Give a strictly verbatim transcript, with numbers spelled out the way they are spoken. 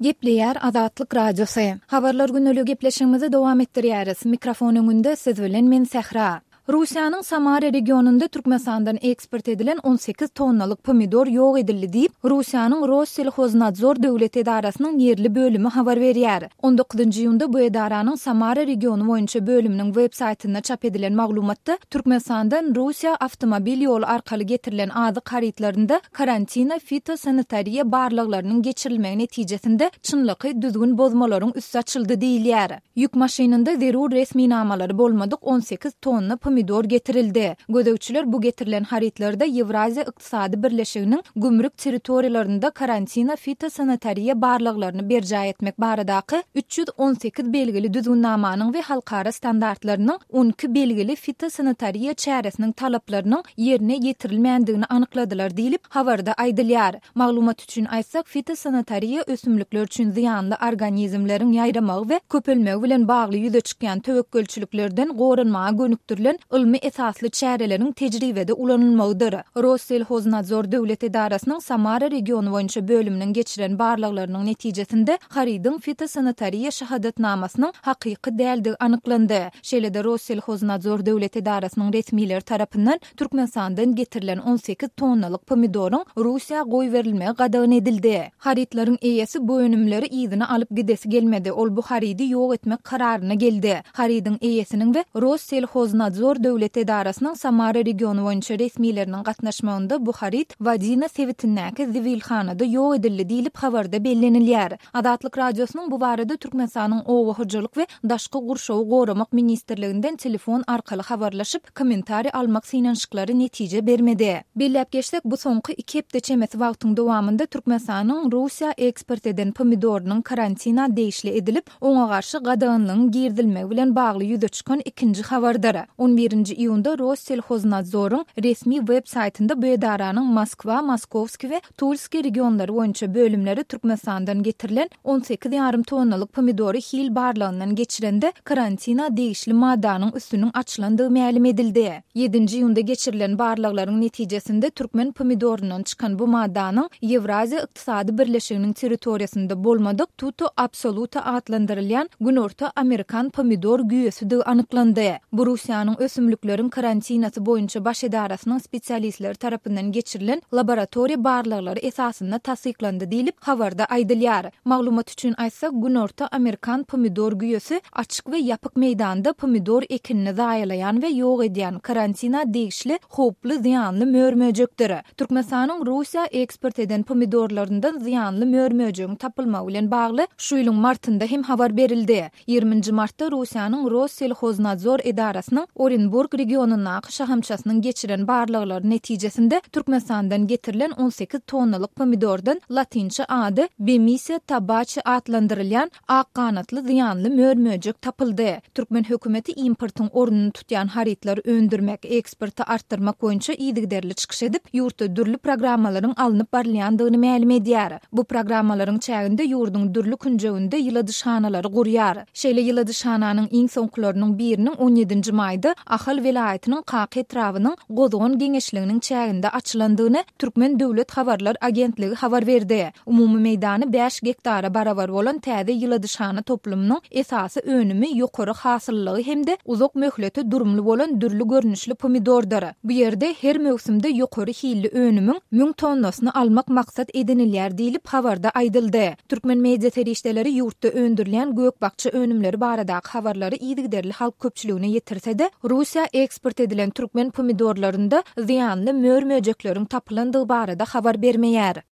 Gepleýär Azatlyk Radiosy. Habarlar gündeligi gepleşigimizi dowam etdirýäris. Mikrofon öňünde siz bilen men Sähra. Russiýanyň Samara regionynda Türkmenistandan eksport edilen on sekiz tonnalyk pomidor ýok edildi diýip, Russiýanyň Rosselhoznadzor döwlet edarasynyň ýerli bölümi habar berýär. On dokuzynjy iýunda bu edaranyň Samara regiony boýunça bölüminiň web saýtynda çap edilen maglumatda Türkmenistandan Russiýa awtomobil ýoly arkaly getirilen azyk harytlarynda karantina fitosanitariýa barlaglarynyň geçirilmegi netijesinde çynlakaý düzgün bozmalaryň üsti açyldy diýilýär. Ýük maşynynda zerur resminamalary bolmadyk on sekiz tonna pomidor getirildi. Gözegçiler bu getirilen harytlarda Ýewraziýa Ykdysady Birleşiginiň gümrük territoriýalarynda karantina fitosanitariýa barlaglaryny berjaý etmek baradaky üç ýüz on sekiz belgili düzgünnamanyň we halkara standartlarynyň on iki belgili fitosanitariýa çäresiniň talaplarynyň ýerine ýetirilmändigini anykladylar diýlip, habarda aýdylýar. Maglumat üçin aýtsak, fitosanitariýa ösümlikler üçin zyýanly organizmleriň ýaýramagy we köpelmegi bilen bagly ýüze çykýan töwekgelçiliklerden goranmaga gönükdirilen ylmy esasly çäreleriň tejribede ulanylmagydyr. Rosselhoznadzor döwlet edarasynyň Samara regiony boýunça bölüminiň geçiren barlaglarynyň netijesinde harydyň fitosanitariýa şahadatnamasynyň hakyky däldigi anyklandy. Şeýle-de Rosselhoznadzor döwlet edarasynyň resmileri tarapyndan Türkmenistandan getirilen on sekiz tonnalyk pomidoryň Russiýa goýberilmegi gadagan edildi. Harytlaryň eýesi bu önümleri yzyna alyp gidesi gelmedi. Ol bu harydy ýok etmek kararyna geldi. Harydyň eýesiniň we Rosselhoznadzor döwlet edarasynyň Samara regiony boýunça resmileriniň gatnaşmagynda bu haryt Wadina sebitindäki zibilhanada ýok edildi diýlip habarda bellenilýär. Azatlyk Radiosynyň bu barada Türkmenistanyň Oba hojalyk we Daşky gurşawy goramak ministrliginden telefon arkaly habarlaşyp, kommentariý almak synanyşyklary netije bermedi. Belläp geçsek, bu soňky iki hepde çemesi wagtyň dowamynda Türkmenistanyň Russiýa eksport eden pomidorynyň karantina degişli edilip, oňa garşy gadaganlygyň girizilmegi bilen bagly ýüze çykan ikinji habardyr. On birinji iýunda Rosselhoznadzoryň resmi web saýtynda bu edaranyň Moskwa, Moskowski we Tulski regionlary boýunça bölümleri Türkmenistandan getirilen on sekiz ýarym tonnalyk pomidory hil barlagyndan geçirende karantina degişli maddanyň üstüniň açylandygy mälim edildi. Ýedinji iýunda geçirilen barlaglaryň netijesinde türkmen pomidoryndan çykan bu maddanyň Ýewraziýa Ykdysady Birleşiginiň territoriýasynda bolmadyk Tuto Absoluta atlandyrylýan Günorta Amerikan pomidor güýesidigi anyklandy. Bu Russiýanyň ösümlikleriň karantinasy boýunça baş edarasynyň spesialistleri tarapyndan geçirilen laboratoriýa barlaglary esasynda tassyklandy diýlip habarda aýdylýar. Maglumat üçin aýtsak, Günorta Amerikan pomidor güýesi açyk we ýapyk meýdanda pomidor ekinini zaýalaýan we ýok edýän karantina degişli howply zyýanly mör-möjekdir. Türkmenistanyň Russiýa eksport eden pomidorlaryndan zyýanly mör-möjegiň tapylmagy bilen bagly şu ýylyň martynda hem habar berildi. Ýigriminji martda Russiýanyň Rosselhoznadzor edarasynyň Orenburg regionyndaky şahamçasynyň geçiren barlaglary netijesinde Türkmenistandan getirilen on sekiz tonnalyk pomidordan latynça ady Bemisia tabaci atlandyrylýan ak ganatly zyýanly mör-möjek tapyldy. Türkmen hökümeti importyň ornuny tutýan harytlary öndürmek, eksporty artdyrmak boýunça yzygiderli çykyş edip, ýurtda dürli programmalaryň alnyp barylýandygyny mälim edýär. Bu programmalaryň çäginde ýurduň dürli künjeginde ýyladyşhanalary gurýar. Şeýle ýyladyşhananyň iň soňkularynyň biriniň on ýedinji maýda Ahal welaýatynyň Kaka etrabynyň Gozgan geňeşliginiň çäginde açylandygyny Türkmen döwlet habarlar agentligi habar berdi. Umumy meýdany bäş gektara barabar bolan täze ýyladyşhana toplumynyň esasy önümi ýokary hasyllygy hem-de uzak möhlete durumly bolan dürli görnüşli pomidordyr. Bu ýerde her möwsümde ýokary hilli önümiň müň tonnasyny almak maksat edinilýär diýlip habarda aýdyldy. Türkmen media serişdeleri ýurtda öndürilýän gök-bakja önümleri baradaky habarlary yzygiderli halk köpçüligine ýetirse-de, Russiýa eksport edilen türkmen pomidorlarynda zyýanly mör-möjekleriň tapylandygy barada habar bermeýär.